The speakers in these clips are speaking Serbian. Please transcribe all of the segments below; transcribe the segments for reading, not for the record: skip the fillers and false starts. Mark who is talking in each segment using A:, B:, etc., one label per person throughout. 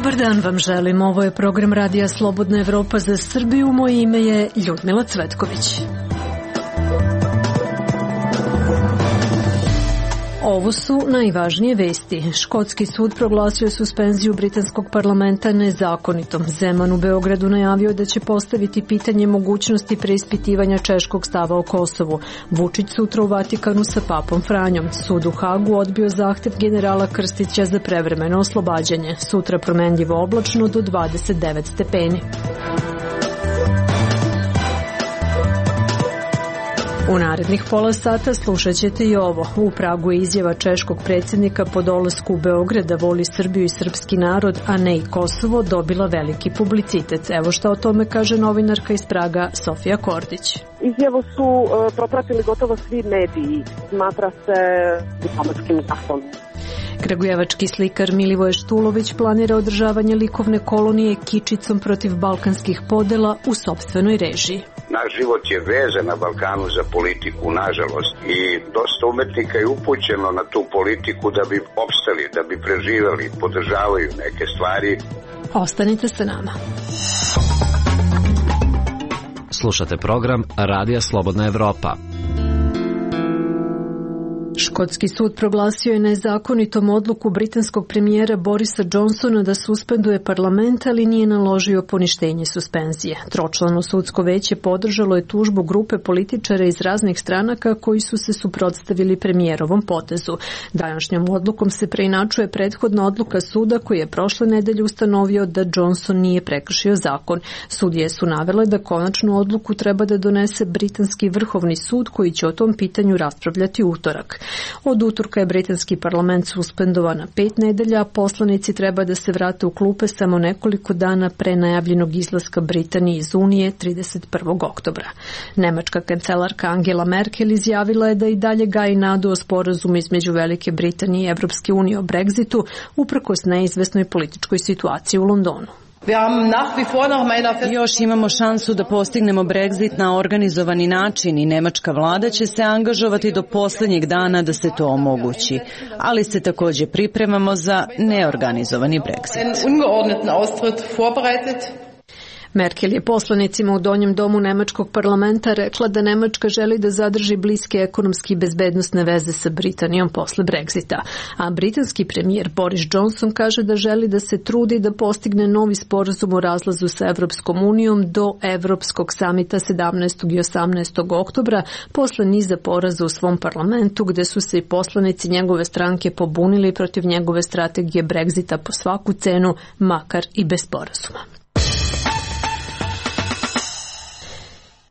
A: Dobar dan vam želim. Ovo je program Radija Slobodna Evropa za Srbiju. Moje ime je Ljudmila Cvetković. Ovo su najvažnije vesti. Škotski sud proglasio suspenziju britanskog parlamenta nezakonitom. Zeman u Beogradu najavio da će postaviti pitanje mogućnosti preispitivanja češkog stava o Kosovu. Vučić sutra u Vatikanu sa papom Franjom. Sud u Hagu odbio zahtev generala Krstića za prevremeno oslobađanje. Sutra promenljivo oblačno do 29 stepeni. U narednih pola sata slušat ćete i ovo. U Pragu je izjava češkog predsjednika po dolasku u Beograd da voli Srbiju i srpski narod, a ne i Kosovo, dobila veliki publicitet. Evo šta o tome kaže novinarka iz Praga Sofija Kordić.
B: Izjavu su propratili gotovo svi mediji. Smatra se diplomatskim gafom.
A: Kragujevački slikar Milivoje Štulović planira održavanje likovne kolonije kičicom protiv balkanskih podela u sopstvenoj režiji.
C: Naš život je vezan na Balkanu za politiku, nažalost, i dosta umetnika je upućeno na tu politiku da bi opstali, da bi preživjeli, podržavaju neke stvari.
A: Ostanite sa nama.
D: Slušate program Radija Slobodna Evropa.
A: Škotski sud proglasio je nezakonitom odluku britanskog premijera Borisa Johnsona da suspenduje parlament, ali nije naložio poništenje suspenzije. Tročlano sudsko veće podržalo je tužbu grupe političara iz raznih stranaka koji su se suprotstavili premijerovom potezu. Današnjom odlukom se preinačuje prethodna odluka suda koji je prošle nedelje ustanovio da Johnson nije prekršio zakon. Sudije su navele da konačnu odluku treba da donese britanski vrhovni sud koji će o tom pitanju raspravljati utorak. Od utorka je britanski parlament suspendovan na 5 nedelja, a poslanici treba da se vrate u klupe samo nekoliko dana pre najavljenog izlaska Britanije iz Unije 31. oktobra. Nemačka kancelarka Angela Merkel izjavila je da i dalje gaji nadu o sporazumu između Velike Britanije i Evropske unije o Brexitu, uprkos neizvesnoj političkoj situaciji u Londonu.
E: Još imamo šansu da postignemo Brexit na organizovani način i nemačka vlada će se angažovati do posljednjeg dana da se to omogući. Ali se također pripremamo za neorganizovani Brexit.
A: Merkel je poslanicima u Donjem domu nemačkog parlamenta rekla da Nemačka želi da zadrži bliske ekonomski i bezbednosne veze sa Britanijom posle Brexita. A britanski premijer Boris Johnson kaže da želi da se trudi da postigne novi sporazum o razlazu sa Evropskom unijom do Evropskog samita 17. i 18. oktobra posle niza poraza u svom parlamentu gde su se i poslanici njegove stranke pobunili protiv njegove strategije Brexita po svaku cenu, makar i bez sporazuma.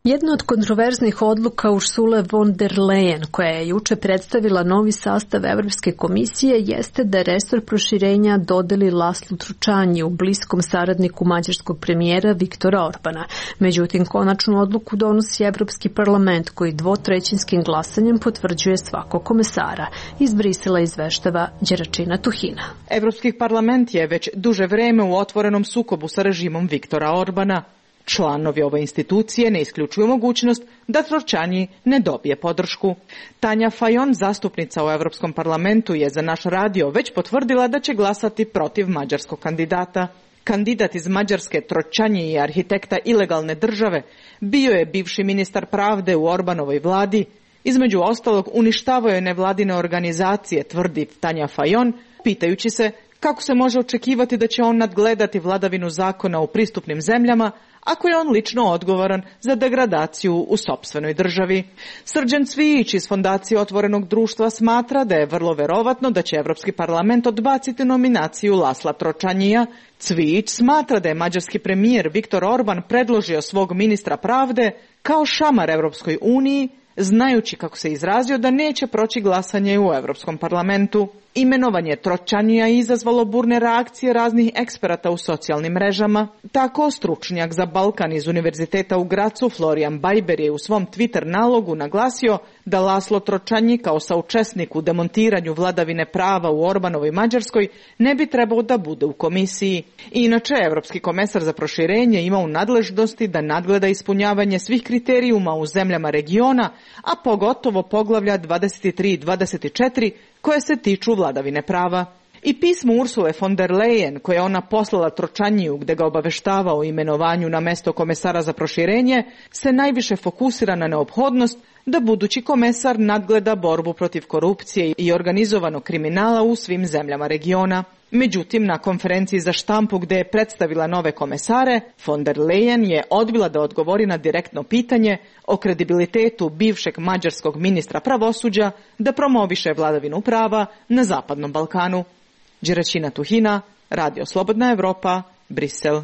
A: Jedna od kontroverznih odluka Ursule von der Leyen, koja je juče predstavila novi sastav Evropske komisije, jeste da resor proširenja dodeli Laslu Tručaniju, bliskom saradniku mađarskog premijera Viktora Orbana. Međutim, konačnu odluku donosi Evropski parlament, koji 2/3 glasanjem potvrđuje svakog komesara. Iz Brisela izveštava Đeračina Tuhina.
F: Evropski parlament je već duže vreme u otvorenom sukobu sa režimom Viktora Orbana. Članovi ove institucije ne isključuju mogućnost da Tručanji ne dobije podršku. Tanja Fajon, zastupnica u Europskom parlamentu, je za naš radio već potvrdila da će glasati protiv mađarskog kandidata. Kandidat iz Mađarske, Tručanji i arhitekta ilegalne države, bio je bivši ministar pravde u Orbanovoj vladi. Između ostalog, uništavao je nevladine organizacije, tvrdi Tanja Fajon, pitajući se kako se može očekivati da će on nadgledati vladavinu zakona u pristupnim zemljama, ako je on lično odgovoran za degradaciju u sopstvenoj državi. Srđan Cvijić iz Fondacije Otvorenog društva smatra da je vrlo verovatno da će Evropski parlament odbaciti nominaciju Lasla Tručanija. Cvijić smatra da je mađarski premijer Viktor Orban predložio svog ministra pravde kao šamar Evropskoj uniji, znajući, kako se izrazio, da neće proći glasanje u Evropskom parlamentu. Imenovanje Tručanija je izazvalo burne reakcije raznih eksperata u socijalnim mrežama. Tako, stručnjak za Balkan iz Univerziteta u Gracu, Florian Bajber, je u svom Twitter nalogu naglasio da Laslo Tručanji kao saučesnik u demontiranju vladavine prava u Orbanovoj Mađarskoj ne bi trebao da bude u komisiji. Inače, Evropski komesar za proširenje ima u nadležnosti da nadgleda ispunjavanje svih kriterijuma u zemljama regiona, a pogotovo poglavlja 23 i 24 koje se tiču vladavine prava. I pismo Ursule von der Leyen, koje je ona poslala Tročaniju gde ga obaveštava o imenovanju na mesto komesara za proširenje, se najviše fokusira na neophodnost da budući komesar nadgleda borbu protiv korupcije i organizovanog kriminala u svim zemljama regiona. Međutim, na konferenciji za štampu gde je predstavila nove komesare, von der Leyen je odbila da odgovori na direktno pitanje o kredibilitetu bivšeg mađarskog ministra pravosuđa da promoviše vladavinu prava na Zapadnom Balkanu. Đeraćina Tuhina, Radio Slobodna Evropa, Brisel.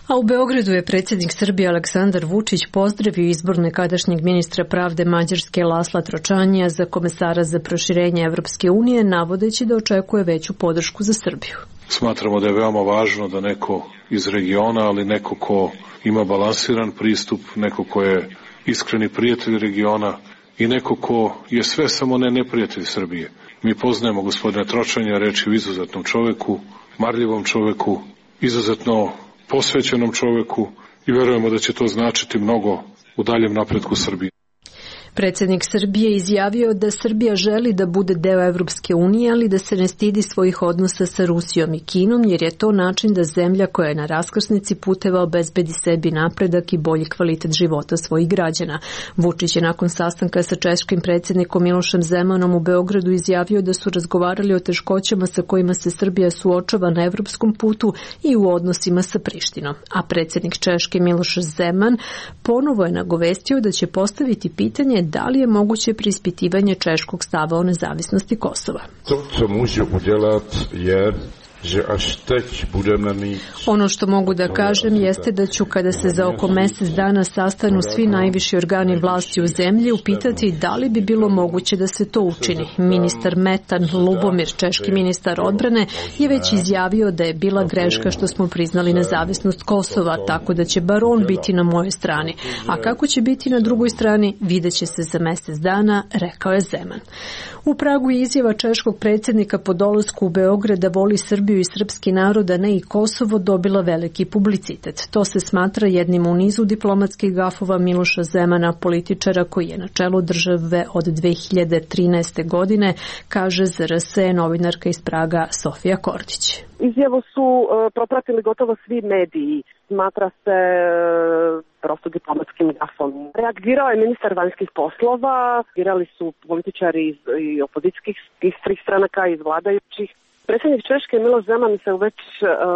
A: A u Beogradu je predsjednik Srbije Aleksandar Vučić pozdravio izbor nekadašnjeg ministra pravde Mađarske Lasla Tročanija za komesara za proširenje Evropske unije, navodeći da očekuje veću podršku za Srbiju.
G: Smatramo da je veoma važno da neko iz regiona, ali neko ko ima balansiran pristup, neko ko je iskreni prijatelj regiona i neko ko je sve samo ne neprijatelj Srbije. Mi poznajemo gospodina Tročanja, reč je o izuzetnom čoveku, marljivom čoveku, izuzetno posvećenom čoveku i verujemo da će to značiti mnogo u daljem napretku Srbije.
A: Predsjednik Srbije izjavio da Srbija želi da bude deo Evropske unije, ali da se ne stidi svojih odnosa sa Rusijom i Kinom, jer je to način da zemlja koja je na raskrsnici puteva obezbedi sebi napredak i bolji kvalitet života svojih građana. Vučić je nakon sastanka sa češkim predsjednikom Milošem Zemanom u Beogradu izjavio da su razgovarali o teškoćama sa kojima se Srbija suočava na evropskom putu i u odnosima sa Prištinom. A predsjednik Češke Miloš Zeman ponovo je nagovestio da će postaviti pitanje da li je moguće preispitivanje češkog stava o nezavisnosti Kosova.
H: To, co můžu udělat, je
A: Ono što mogu da kažem jeste da ću, kada se za oko mjesec dana sastanu svi najviši organi vlasti u zemlji, upitati da li bi bilo moguće da se to učini. Ministar Metan Lubomir, češki ministar odbrane, je već izjavio da je bila greška što smo priznali nezavisnost Kosova, tako da će bar on biti na mojoj strani. A kako će biti na drugoj strani, vidjet će se za mjesec dana, rekao je Zeman. U Pragu je izjava češkog predsjednika po dolasku u Beograd da voli Srbiju i srpski narod, a ne i Kosovo, dobila veliki publicitet. To se smatra jednim u nizu diplomatskih gafova Miloša Zemana, političara koji je na čelu države od 2013. godine, kaže za RS novinarka iz Praga Sofija Kordić.
B: Izjavu su propratili gotovo svi mediji. Smatra se prosto diplomatskim gafom. Reagirao je ministar vanjskih poslova, reagirali su političari i opozicijskih stranaka, iz vladajućih. Predsjednik Češke Miloš Zeman se već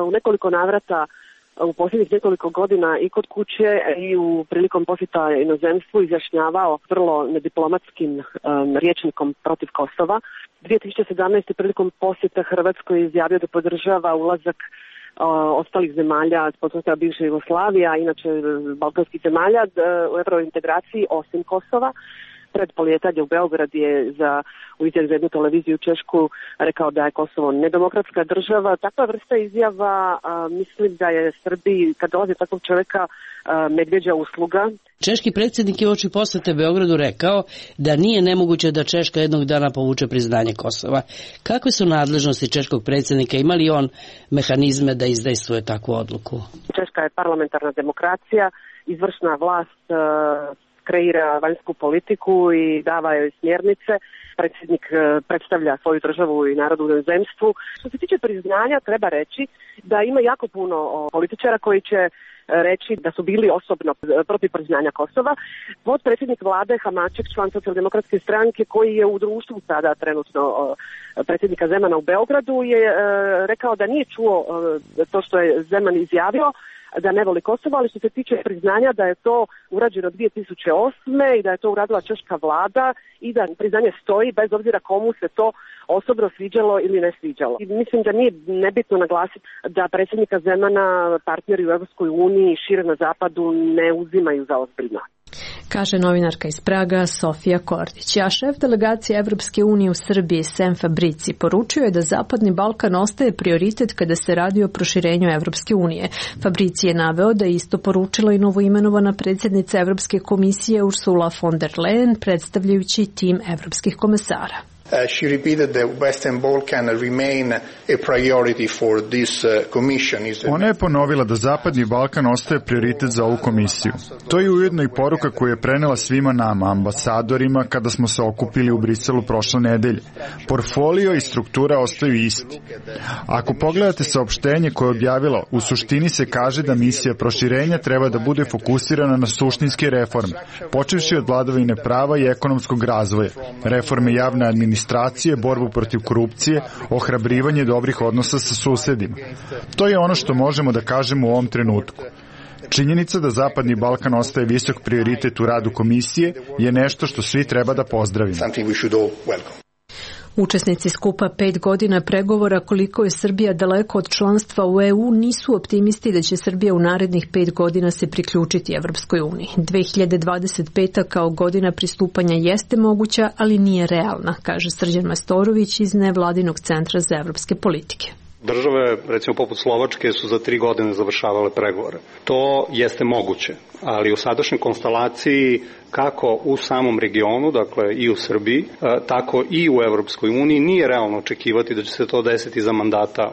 B: u nekoliko navrata u posljednjih nekoliko godina i kod kuće i u prilikom posjeta inozemstvu izjašnjavao vrlo nediplomatskim rječnikom protiv Kosova. 2017. prilikom posjeta Hrvatskoj izjavio da podržava ulazak ostalih zemalja, postojala bivše Jugoslavija, inače balkanskih zemalja u eurointegraciji osim Kosova. Pred polijetanje u Beograd je u izjavi za jednu televiziju Češku rekao da je Kosovo nedemokratska država. Takva vrsta izjava mislim da je Srbiji, kad dolazi takvog čovjeka, medvjeđa usluga.
I: Češki predsjednik je uoči posjete Beogradu rekao da nije nemoguće da Češka jednog dana povuče priznanje Kosova. Kakve su nadležnosti češkog predsjednika? Ima li on mehanizme da izdejstvuje takvu odluku?
B: Češka je parlamentarna demokracija, izvršna vlast kreira vanjsku politiku i dava joj smjernice. Predsjednik predstavlja svoju državu i narod u inozemstvu. Što se tiče priznanja, treba reći da ima jako puno političara koji će reći da su bili osobno protiv priznanja Kosova. Potpredsjednik vlade Hamaček, član Socijaldemokratske stranke, koji je u društvu sada trenutno predsjednika Zemana u Beogradu, je rekao da nije čuo to što je Zeman izjavio, da ne voli Kosovo, ali što se tiče priznanja da je to urađeno 2008. i da je to uradila češka vlada i da priznanje stoji bez obzira komu se to osobno sviđalo ili ne sviđalo. I mislim da nije nebitno naglasiti da predsjednika Zemana partneri u Evropskoj uniji i šire na zapadu ne uzimaju za ozbiljno.
A: Kaže novinarka iz Praga Sofija Kordić. A šef delegacije Evropske unije u Srbiji Sem Fabrici poručio je da Zapadni Balkan ostaje prioritet kada se radi o proširenju Evropske unije. Fabrici je naveo da je isto poručila i novoimenovana predsjednica Evropske komisije Ursula von der Leyen, predstavljajući tim evropskih komesara.
J: She repeated that Western Balkan remain a priority for this commission.
K: Ona je ponovila da Zapadni Balkan ostaje prioritet za ovu komisiju. To je ujedno i poruka koju je prenela svima nama, ambasadorima, kada smo se okupili u Briselu prošle nedelje. Portfolio i struktura ostaju isti. Ako pogledate saopštenje koje je objavila, u suštini se kaže da misija proširenja treba da bude fokusirana na suštinske reforme, počevši od vladavine prava i ekonomskog razvoja, reforme javne administracije, borbu protiv korupcije, ohrabrivanje dobrih odnosa sa susedima. To je ono što možemo da kažemo u ovom trenutku. Činjenica da Zapadni Balkan ostaje visok prioritet u radu komisije je nešto što svi treba da pozdravimo.
A: Učesnici skupa 5 godina pregovora koliko je Srbija daleko od članstva u EU nisu optimisti da će Srbija u narednih 5 godina se priključiti Evropskoj uniji. 2025. kao godina pristupanja jeste moguća, ali nije realna, kaže Srđan Majstorović iz Nevladinog centra za evropske politike.
L: Države, recimo poput Slovačke, su za 3 godine završavale pregovore. To jeste moguće, ali u sadašnjoj konstelaciji kako u samom regionu, dakle i u Srbiji, tako i u Evropskoj uniji, nije realno očekivati da će se to desiti za mandata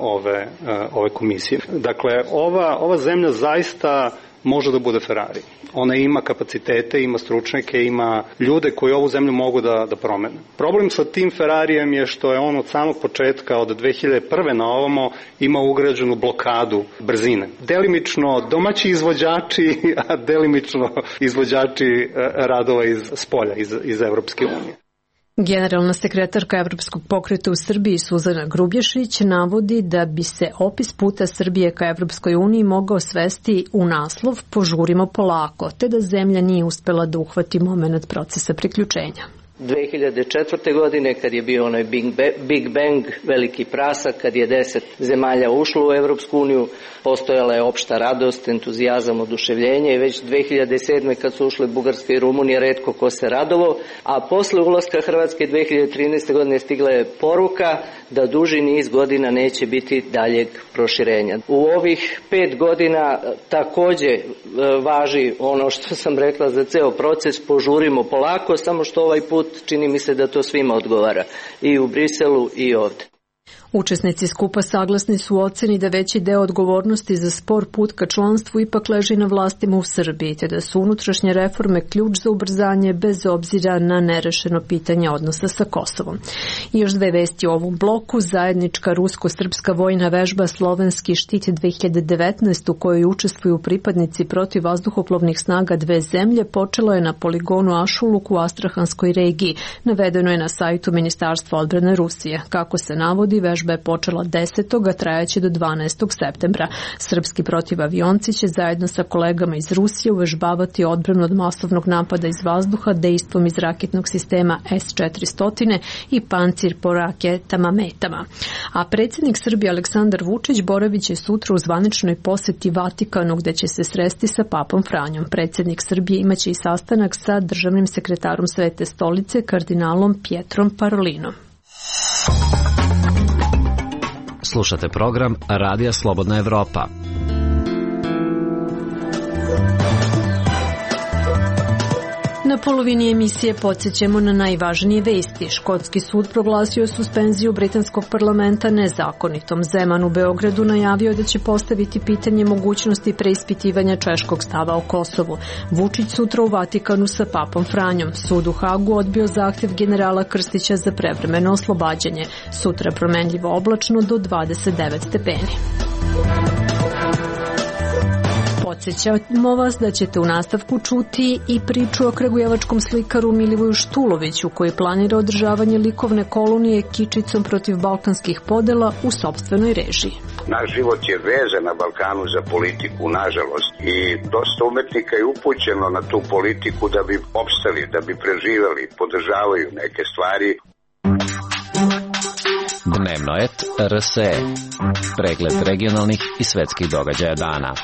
L: ove komisije. Dakle, ova zemlja zaista može da bude Ferrari. Ona ima kapacitete, ima stručnjake, ima ljude koji ovu zemlju mogu da promene. Problem sa tim Ferrarijem je što je on od samog početka, od 2001. na ovamo, ima ugrađenu blokadu brzine. Delimično domaći izvođači, a delimično izvođači radova iz spolja, iz Evropske unije.
A: Generalna sekretarka Evropskog pokreta u Srbiji Suzana Grubješić navodi da bi se opis puta Srbije ka Evropskoj uniji mogao svesti u naslov "Požurimo polako", te da zemlja nije uspela da uhvati momenat procesa priključenja.
M: 2004. godine, kad je bio onaj Big Bang, veliki prasak, kad je 10 zemalja ušlo u Evropsku uniju, postojala je opšta radost, entuzijazam, oduševljenje i već 2007. kad su ušle Bugarska i Rumunija, retko ko se radovao, a posle ulaska Hrvatske 2013. godine stigla je poruka da duži niz godina neće biti daljeg proširenja. U ovih 5 godina takođe važi ono što sam rekla za ceo proces, požurimo polako, samo što ovaj put čini mi se da to svima odgovara, i u Briselu i ovde.
A: Učesnici skupa saglasni su u oceni da veći deo odgovornosti za spor put ka članstvu ipak leži na vlastima u Srbiji, te da su unutrašnje reforme ključ za ubrzanje bez obzira na nerešeno pitanje odnosa sa Kosovom. I još 2 vesti u ovom bloku. Zajednička rusko-srpska vojna vežba Slovenski štit 2019 u kojoj učestvuju pripadnici protiv vazduhoplovnih snaga 2 zemlje počela je na poligonu Ašuluk u Astrahanskoj regiji. Navedeno je na sajtu Ministarstva odbrane Rusije. Kako se navodi, vežba je počela 10. a trajaće do 12. septembra. Srpski protivavionci će zajedno sa kolegama iz Rusije uvežbavati odbranu od masovnog napada iz vazduha dejstvom iz raketnog sistema S-400 i pancir po raketama metama. A predsjednik Srbije Aleksandar Vučić boravit će sutra u zvaničnoj poseti Vatikanu gde će se sresti sa papom Franjom. Predsjednik Srbije imaće i sastanak sa državnim sekretarom Svete stolice kardinalom Pietrom Parolinom.
D: Slušate program Radija Slobodna Evropa.
A: Na polovini emisije podsjećamo na najvažnije vesti. Škotski sud proglasio suspenziju britanskog parlamenta nezakonitom. Zeman u Beogradu najavio da će postaviti pitanje mogućnosti preispitivanja češkog stava o Kosovu. Vučić sutra u Vatikanu sa papom Franjom. Sud u Hagu odbio zahtev generala Krstića za prevremeno oslobađanje. Sutra promenljivo oblačno do 29 stepeni. Podsjećamo vas da ćete u nastavku čuti i priču o kragujevačkom slikaru Milivoju Štuloviću koji planira održavanje likovne kolonije kičicom protiv balkanskih podela u sopstvenoj režiji.
C: Naš život je vezan na Balkanu za politiku, nažalost, i dosta umetnika je upućeno na tu politiku da bi opstali, da bi preživali, podržavaju neke stvari.
D: Dnevno et RSE. Pregled regionalnih i svetskih događaja dana.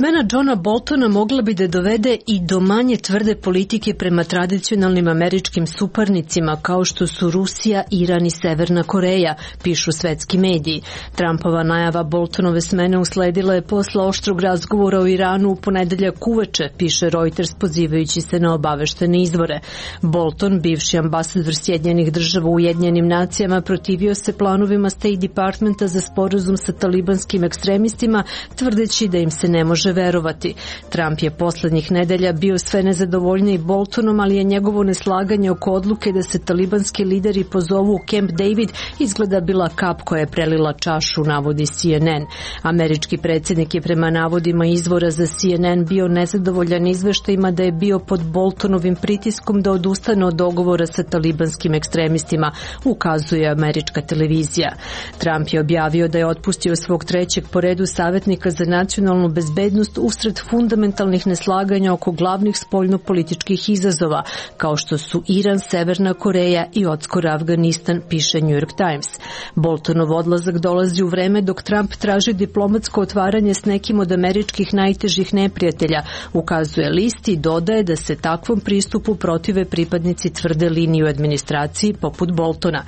A: Smena Johna Boltona mogla bi da dovede i do manje tvrde politike prema tradicionalnim američkim suparnicima kao što su Rusija, Iran i Severna Koreja, pišu svetski mediji. Trumpova najava Boltonove smene usledila je posle oštrog razgovora o Iranu u ponedeljak uveče, piše Reuters pozivajući se na obaveštene izvore. Bolton, bivši ambasador Sjedinjenih država u Ujedinjenim nacijama, protivio se planovima State Departmenta za sporazum sa talibanskim ekstremistima, tvrdeći da im se ne može verovati. Trump je poslednjih nedelja bio sve nezadovoljniji Boltonom, ali je njegovo neslaganje oko odluke da se talibanski lideri pozovu u Camp David izgleda bila kap koja je prelila čašu, navodi CNN. Američki predsjednik je prema navodima izvora za CNN bio nezadovoljan izveštajima da je bio pod Boltonovim pritiskom da odustane od dogovora sa talibanskim ekstremistima, ukazuje američka televizija. Trump je objavio da je otpustio svog trećeg po redu savjetnika za nacionalnu bezbednost usred fundamentalnih neslaganja oko glavnih spoljnopolitičkih izazova, kao što su Iran, Severna Koreja i odskoro Afganistan, piše New York Times. Boltonov odlazak dolazi u vreme dok Trump traži diplomatsko otvaranje s nekim od američkih najtežih neprijatelja, ukazuje list i dodaje da se takvom pristupu protive pripadnici tvrde linije u administraciji poput Boltona.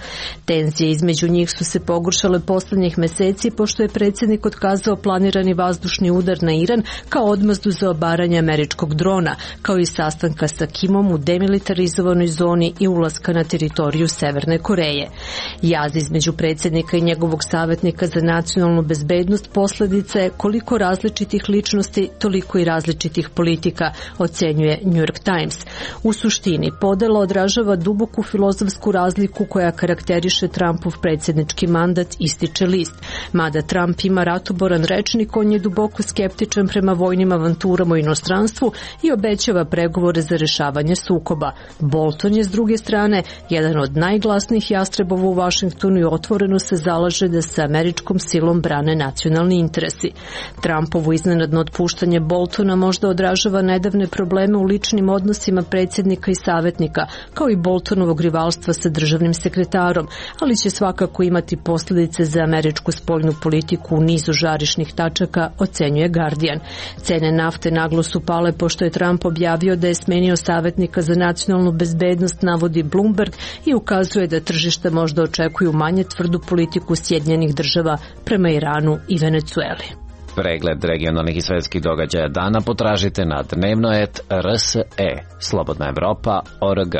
A: Tenzije između njih su se pogoršale poslednjih meseci pošto je predsjednik otkazao planirani vazdušni udar na Iran kao odmazdu za obaranje američkog drona, kao i sastanka sa Kimom u demilitarizovanoj zoni i ulaska na teritoriju Severne Koreje. Jaz između predsjednika i njegovog savjetnika za nacionalnu bezbednost posljedica je koliko različitih ličnosti, toliko i različitih politika, ocenjuje New York Times. U suštini, podela odražava duboku filozofsku razliku koja karakteriše Trumpov predsjednički mandat, ističe list. Mada Trump ima ratoboran rečnik, on je duboko skeptičan prema vojnim avanturama u inostranstvu i obećava pregovore za rešavanje sukoba. Bolton je s druge strane jedan od najglasnijih jastrebova u Vašingtonu i otvoreno se zalaže da se američkom silom brane nacionalni interesi. Trumpovo iznenadno otpuštanje Boltona možda odražava nedavne probleme u ličnim odnosima predsjednika i savjetnika, kao i Boltonovog rivalstva sa državnim sekretarom, ali će svakako imati posljedice za američku spoljnu politiku u nizu žarišnih tačaka, ocenjuje Guardian. Cene nafte naglo su pale pošto je Trump objavio da je smenio savjetnika za nacionalnu bezbednost, navodi Bloomberg, i ukazuje da tržišta možda očekuju manje tvrdu politiku Sjedinjenih država prema Iranu i Venecueli.
D: Pregled regionalnih i svetskih događaja dana potražite na dnevnoet.rse. Slobodna Evropa.org.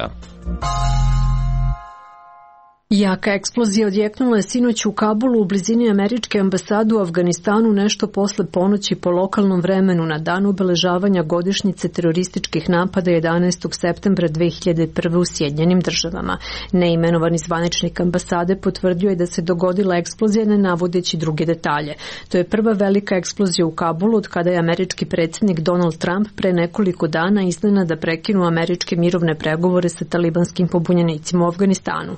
A: Jaka eksplozija odjeknula je sinoć u Kabulu u blizini američke ambasade u Afganistanu nešto posle ponoći po lokalnom vremenu na dan obeležavanja godišnjice terorističkih napada 11. septembra 2001. u Sjedinjenim državama. Neimenovani zvaničnik ambasade potvrdio je da se dogodila eksplozija ne navodeći druge detalje. To je prva velika eksplozija u Kabulu od kada je američki predsjednik Donald Trump pre nekoliko dana iznenada prekinuo američke mirovne pregovore sa talibanskim pobunjenicima u Afganistanu.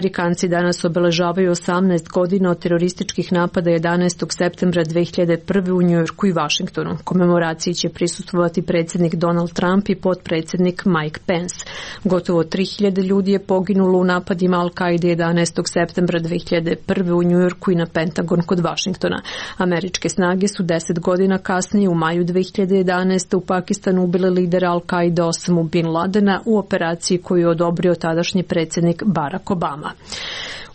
A: Amerikanci danas obeležavaju 18 godina od terorističkih napada 11. septembra 2001. u Njujorku i Vašingtonu. Komemoraciji će prisustvovati predsjednik Donald Trump i potpredsjednik Mike Pence. Gotovo 3000 ljudi je poginulo u napadima Al-Kaide 11. septembra 2001. u Njujorku i na Pentagon kod Vašingtona. Američke snage su 10 godina kasnije u maju 2011. u Pakistanu ubile lidera Al-Kaide Osamu Bin Ladena u operaciji koju je odobrio tadašnji predsjednik Barack Obama.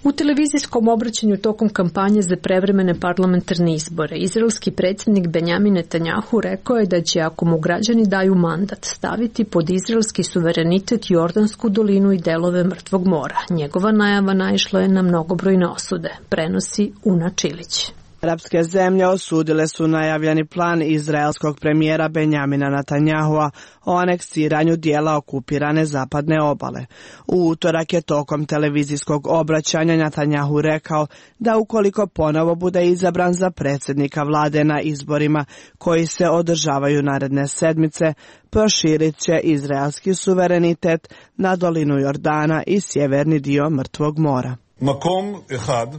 A: U televizijskom obraćanju tokom kampanje za prevremene parlamentarne izbore, izraelski predsjednik Benjamin Netanjahu rekao je da će, ako mu građani daju mandat, staviti pod izraelski suverenitet Jordansku dolinu i delove Mrtvog mora. Njegova najava naišla je na mnogobrojne osude, prenosi Una Čilić.
N: Arapske zemlje osudile su najavljeni plan izraelskog premijera Benjamina Netanjahua o aneksiranju dijela okupirane zapadne obale. U utorak je tokom televizijskog obraćanja Netanjahu rekao da ukoliko ponovo bude izabran za predsjednika vlade na izborima koji se održavaju naredne sedmice, proširit će izraelski suverenitet na dolinu Jordana i sjeverni dio Mrtvog mora.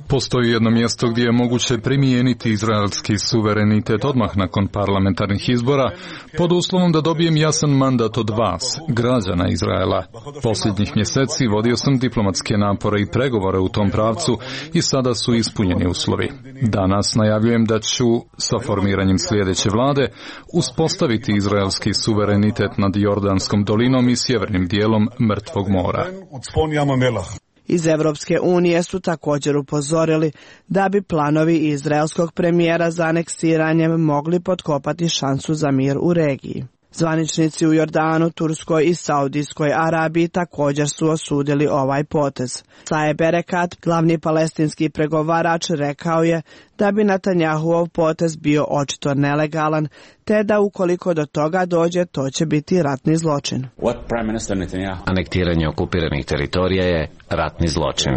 O: Postoji jedno mjesto gdje je moguće primijeniti izraelski suverenitet odmah nakon parlamentarnih izbora, pod uslovom da dobijem jasan mandat od vas, građana Izraela. Posljednjih mjeseci vodio sam diplomatske napore i pregovore u tom pravcu i sada su ispunjeni uslovi. Danas najavljujem da ću, sa formiranjem sljedeće vlade, uspostaviti izraelski suverenitet nad Jordanskom dolinom i sjevernim dijelom Mrtvog mora.
N: Iz Evropske unije su također upozorili da bi planovi izraelskog premijera za aneksiranjem mogli potkopati šansu za mir u regiji. Zvaničnici u Jordanu, Turskoj i Saudijskoj Arabiji također su osudili ovaj potez. Saeb Erekat, glavni palestinski pregovarač, rekao je da bi Netanjahuov potez bio očito nelegalan, te da ukoliko do toga dođe, to će biti ratni zločin.
D: Anektiranje okupiranih teritorija je ratni zločin.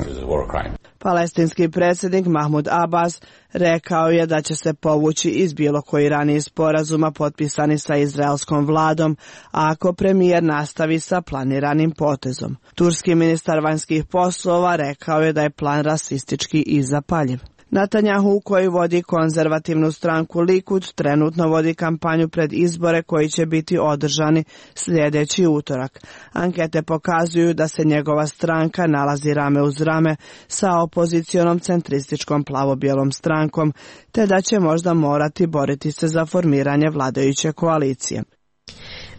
N: Palestinski predsjednik Mahmud Abbas rekao je da će se povući iz bilo koji raniji sporazuma potpisani sa izraelskom vladom, ako premijer nastavi sa planiranim potezom. Turski ministar vanjskih poslova rekao je da je plan rasistički i zapaljiv. Netanjahu, koji vodi konzervativnu stranku Likud, trenutno vodi kampanju pred izbore koji će biti održani sljedeći utorak. Ankete pokazuju da se njegova stranka nalazi rame uz rame sa opozicionom centrističkom plavo-bijelom strankom, te da će možda morati boriti se za formiranje vladajuće koalicije.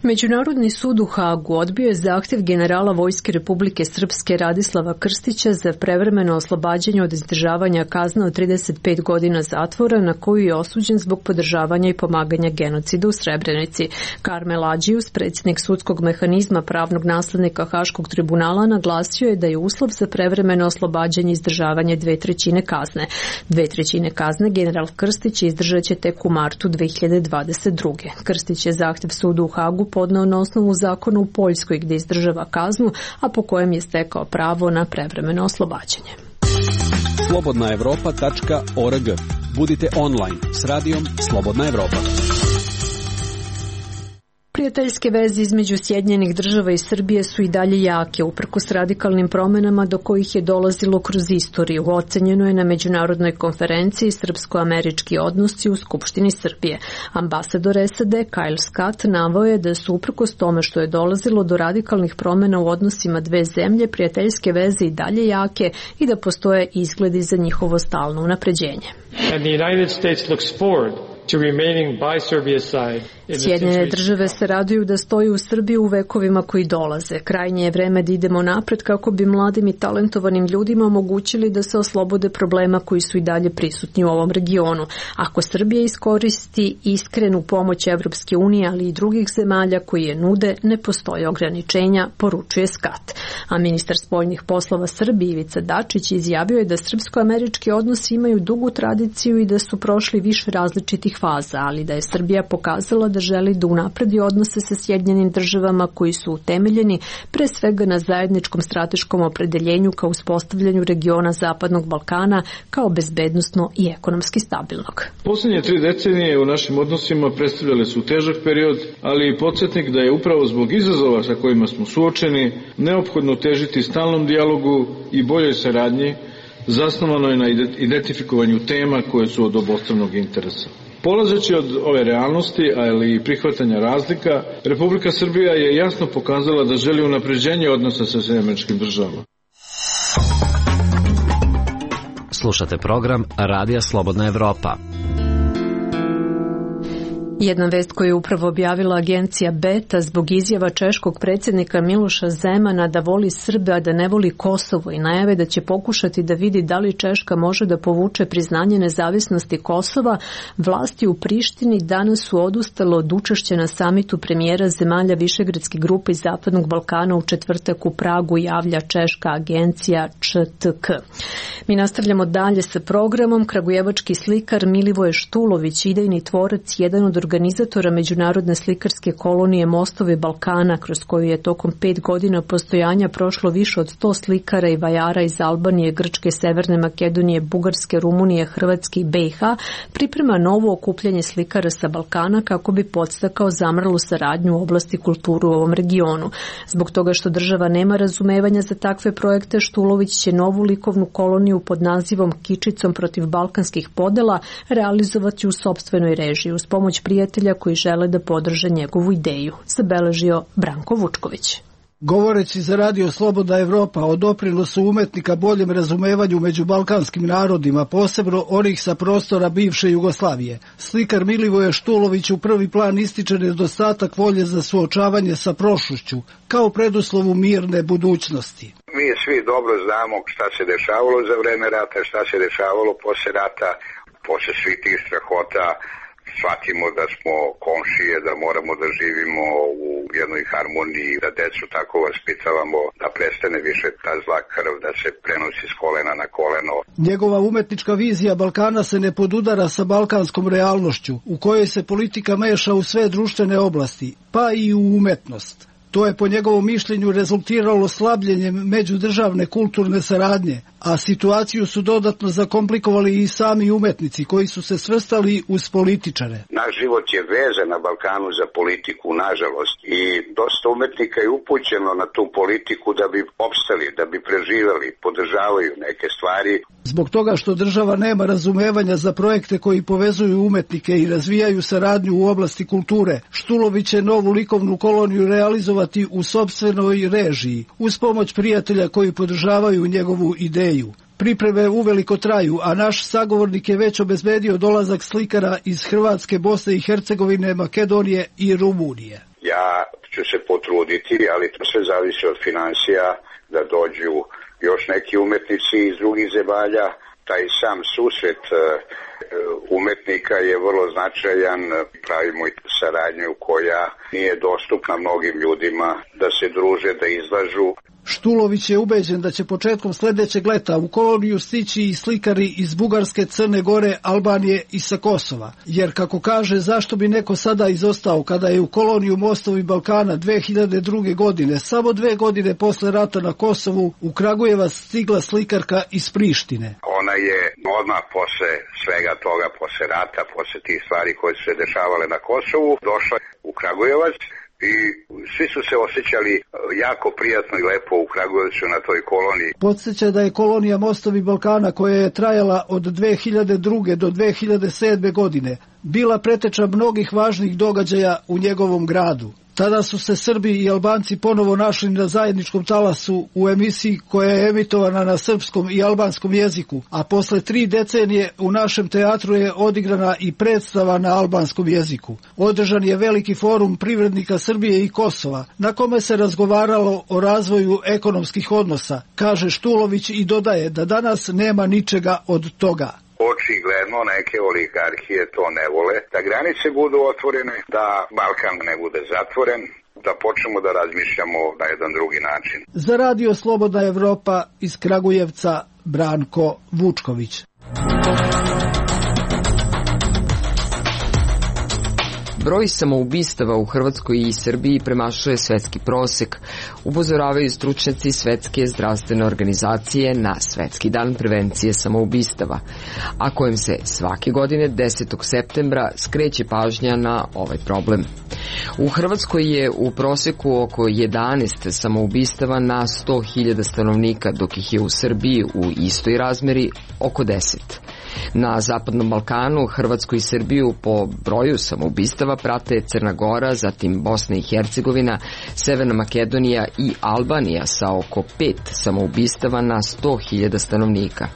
A: Međunarodni sud u Hagu odbio je zahtjev generala Vojske Republike Srpske Radislava Krstića za prevremeno oslobađanje od izdržavanja kazne od 35 godina zatvora na koju je osuđen zbog podržavanja i pomaganja genocidu u Srebrenici. Karmel Adžius, predsjednik sudskog mehanizma pravnog naslednika Haškog tribunala, naglasio je da je uslov za prevremeno oslobađanje izdržavanje 2/3 kazne. 2/3 kazne general Krstić izdržat će tek u martu 2022. Krstić je zahtjev sudu u Hagu podneo na osnovu zakona u Poljskoj gdje izdržava kaznu, a po kojem je stekao pravo na prevremeno oslobađanje.
P: slobodnaevropa.org. Budite online s radijom Slobodna Evropa.
A: Prijateljske veze između Sjedinjenih Država i Srbije su i dalje jake, uprkos radikalnim promjenama do kojih je dolazilo kroz istoriju. Ocenjeno je na međunarodnoj konferenciji srpsko-američki odnosi u Skupštini Srbije. Ambasador SAD Kyle Scott naveo je da su uprkos tome što je dolazilo do radikalnih promjena u odnosima dve zemlje, prijateljske veze i dalje jake i da postoje izgledi za njihovo stalno unapređenje.
Q: And the United States looks forward to remaining by Serbia's side.
A: Sjedinjene Države se raduju da stoju u Srbiji u vekovima koji dolaze. Krajnje je vreme da idemo napred kako bi mladim i talentovanim ljudima omogućili da se oslobode problema koji su i dalje prisutni u ovom regionu. Ako Srbija iskoristi iskrenu pomoć Evropske unije, ali i drugih zemalja koji je nude, ne postoje ograničenja, poručuje Scott. A ministar spoljnih poslova Srbije Ivica Dačić izjavio je da srpsko-američki odnosi imaju dugu tradiciju i da su prošli više različitih faza, ali da je Srbija pokazala da želi da unapredi odnose sa Sjedinjenim Državama koji su utemeljeni pre svega na zajedničkom strateškom opredeljenju kao uspostavljanju regiona Zapadnog Balkana kao bezbednosno i ekonomski stabilnog.
R: Posljednje 3 decenije u našim odnosima predstavljale su težak period, ali i podsjetnik da je upravo zbog izazova sa kojima smo suočeni neophodno težiti stalnom dijalogu i boljoj saradnji zasnovanoj na identifikovanju tema koje su od obostranog interesa. Polazeći od ove realnosti, ali i prihvatanja razlika, Republika Srbija je jasno pokazala da želi unapređenje odnosa sa Sjedinjenim Državama.
D: Slušate program Radija Slobodna Evropa.
A: Jedna vest koju je upravo objavila agencija Beta zbog izjava češkog predsjednika Miloša Zemana da voli Srbe, a da ne voli Kosovo i najave da će pokušati da vidi da li Češka može da povuče priznanje nezavisnosti Kosova, vlasti u Prištini danas su odustale od učešća na samitu premijera zemalja Višegradske grupe iz Zapadnog Balkana u četvrtak u Pragu, javlja češka agencija ČTK. Mi nastavljamo dalje sa programom. Kragujevački slikar Milivoje Štulović, idejni tvorac, jedan od organizatora međunarodne slikarske kolonije Mostovi Balkana, kroz koju je tokom 5 godina postojanja prošlo više od 100 slikara i vajara iz Albanije, Grčke, Severne Makedonije, Bugarske, Rumunije, Hrvatske i BiH, priprema novo okupljanje slikara sa Balkana kako bi podstakao zamrlu saradnju u oblasti kulturu u ovom regionu. Zbog toga što država nema razumevanja za takve projekte, Štulović će novu likovnu koloniju pod nazivom Kičicom protiv balkanskih podela realizovati u sopstvenoj režiji uz pomoć prijatelja koji žele da podrže njegovu ideju, zabeležio Branko Vučković.
S: Govoreći za Radio Slobodna Evropa o doprinosu umetnika boljem razumevanju među balkanskim narodima, posebno onih sa prostora bivše Jugoslavije, slikar Milivoje Štulović u prvi plan ističe nedostatak volje za suočavanje sa prošlošću kao preduslovu mirne budućnosti.
C: Mi svi dobro znamo šta se dešavalo za vreme rata, šta se dešavalo posle rata, posle svih tih strahota. Shvatimo da smo komšije, da moramo da živimo u jednoj harmoniji, da decu tako vaspitavamo, da prestane više ta zla krv, da se prenosi s kolena na koleno.
S: Njegova umetnička vizija Balkana se ne podudara sa balkanskom realnošću, u kojoj se politika meša u sve društvene oblasti, pa i u umetnost. To je po njegovom mišljenju rezultiralo slabljenjem međudržavne kulturne saradnje, a situaciju su dodatno zakomplikovali i sami umetnici koji su se svrstali uz političare.
C: Naš život je vezan na Balkanu za politiku, nažalost, i dosta umetnika je upućeno na tu politiku da bi opstali, da bi preživali, podržavaju neke stvari.
S: Zbog toga što država nema razumevanja za projekte koji povezuju umetnike i razvijaju saradnju u oblasti kulture, Štulović će novu likovnu koloniju realizovati u sopstvenoj režiji, uz pomoć prijatelja koji podržavaju njegovu ideju. Pripreme uveliko traju, a naš sagovornik je već obezbedio dolazak slikara iz Hrvatske, Bosne i Hercegovine, Makedonije i Rumunije.
C: Ja ću se potruditi, ali to sve zavisi od finansija, da dođu još neki umetnici iz drugih zemalja. Taj sam susret umetnika je vrlo značajan, pravimo i saradnju koja nije dostupna mnogim ljudima, da se druže, da izlažu.
S: Štulović je ubeđen da će početkom sledećeg leta u koloniju stići i slikari iz Bugarske, Crne Gore, Albanije i sa Kosova. Jer, kako kaže, zašto bi neko sada izostao kada je u koloniju Mostovi Balkana 2002. godine, samo 2 godine posle rata na Kosovu, u Kragujevac stigla slikarka iz Prištine.
C: Ona je odmah posle svega toga, posle rata, posle tih stvari koje su se dešavale na Kosovu, došla u Kragujevac. I svi su se osjećali jako prijatno i lepo u Kragujevcu na toj koloniji.
S: Podsjeća da je kolonija Mostovi Balkana, koja je trajala od 2002. do 2007. godine, bila preteča mnogih važnih događaja u njegovom gradu. Tada su se Srbi i Albanci ponovo našli na zajedničkom talasu u emisiji koja je emitovana na srpskom i albanskom jeziku, a posle 3 decenije u našem teatru je odigrana i predstava na albanskom jeziku. Održan je veliki forum privrednika Srbije i Kosova, na kome se razgovaralo o razvoju ekonomskih odnosa, kaže Štulović i dodaje da danas nema ničega od toga.
C: Očigledno neke oligarhije to ne vole, da granice budu otvorene, da Balkan ne bude zatvoren, da počnemo da razmišljamo na jedan drugi način.
S: Za Radio Slobodna Evropa iz Kragujevca, Branko Vučković.
T: Broj samoubistava u Hrvatskoj i Srbiji premašuje svetski prosek, upozoravaju stručnjaci Svetske zdravstvene organizacije na Svetski dan prevencije samoubistava, a kojem se svake godine 10. septembra skreće pažnja na ovaj problem. U Hrvatskoj je u proseku oko 11 samoubistava na 100.000 stanovnika, dok ih je u Srbiji u istoj razmeri oko 10. Na Zapadnom Balkanu, Hrvatsku i Srbiju po broju samoubistava prate Crna Gora, zatim Bosna i Hercegovina, Severna Makedonija i Albanija sa oko 5 samoubistava na 100.000 stanovnika.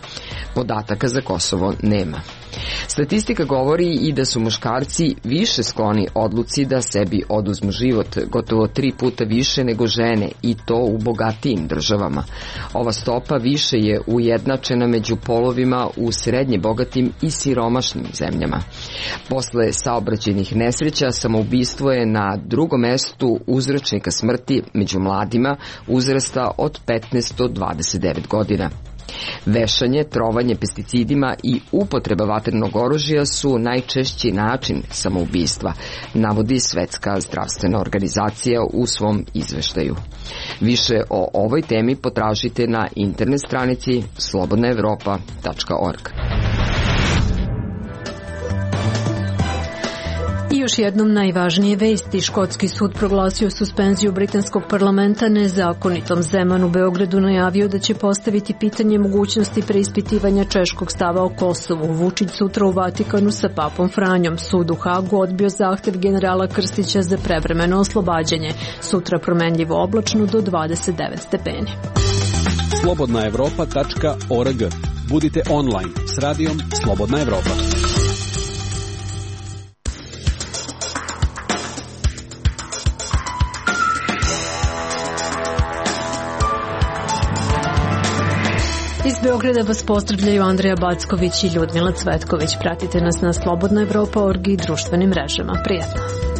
T: Podataka za Kosovo nema. Statistika govori i da su muškarci više skloni odluci da sebi oduzmu život, gotovo 3 puta više nego žene, i to u bogatijim državama. Ova stopa više je ujednačena među polovima u srednje bogatim i siromašnim zemljama. Posle saobraćajnih nesreća, samoubistvo je na drugom mestu uzročnika smrti među mladima uzrasta od 15 do 29 godina. Vešanje, trovanje pesticidima i upotreba vatrenog oružja su najčešći način samoubistva, navodi Svetska zdravstvena organizacija u svom izveštaju. Više o ovoj temi potražite na internet stranici slobodnaevropa.org.
A: I još jednom najvažnije vesti. Škotski sud proglasio suspenziju britanskog parlamenta nezakonitom. Zeman u Beogradu najavio da će postaviti pitanje mogućnosti preispitivanja češkog stava o Kosovu. Vučić sutra u Vatikanu sa papom Franjom. Sud u Hagu odbio zahtev generala Krstića za prevremeno oslobađanje. Sutra promenljivo oblačno do 29 stepeni.
P: Slobodnaevropa.org. Budite online s radijom Slobodna Evropa.
A: Iz Beograda vas pozdravljaju Andreja Backović i Ljudmila Cvetković. Pratite nas na slobodnaevropa.org i društvenim mrežama. Prijetno!